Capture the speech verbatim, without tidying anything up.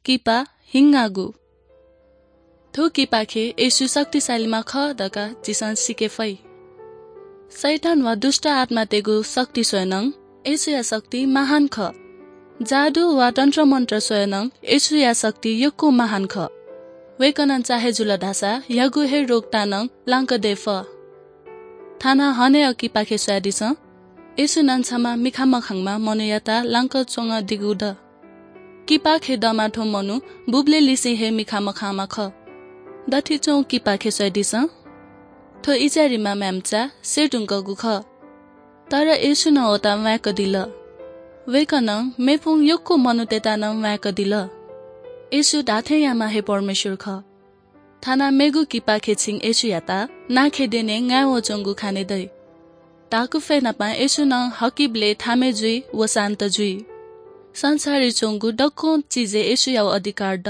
किपा, हिंगागु। थ्व किपाखे येशू शक्तिशालीम्ह खः धकाः झीसं सीके फइ। शैतान वा दुष्ट आत्मातय्गु शक्ति स्वयेनं येशूया शक्ति महान खः। जादु वा तन्त्रमन्त्र स्वयेनं येशूया शक्ति यक्व महान खः। वय्कलं चाहे जुल धाःसा ह्यागु हे रोगतानं लांक दये फः। थाना हनेया किपाखे स्वयादिसँ। येशूनं छम्ह मिखा मखांम्ह मनूयात लांक च्वंगदिगु द। किपाखे दःम्ह थ्व मनू बुबलेलिसें हे मिखा मखांम्ह खः। दथुइ च्वंगु किपाखे स्वयादिसँ। थ्व इस्राएलीम्ह म्ह्याय्मचा सये धुंकूगु खः। तर येशूनं वयात म्वायेकदिल। वय्कलं मेपुगु यक्व मनूतय्त नं म्वायेकदिल। येशू धात्थें याःम्ह हे परमेश्वर खः। थाना मेगु किपाखे छिं येशूयात नांखे द्यने ङाये वःच्वंगु खने दइ। धाकु फय् नाप येशूनं हकिबलय् थामय् जुइ व शान्त जुइ। संसारय् च्वंगु दक्व चिजय् येशूयागु अधिकार द।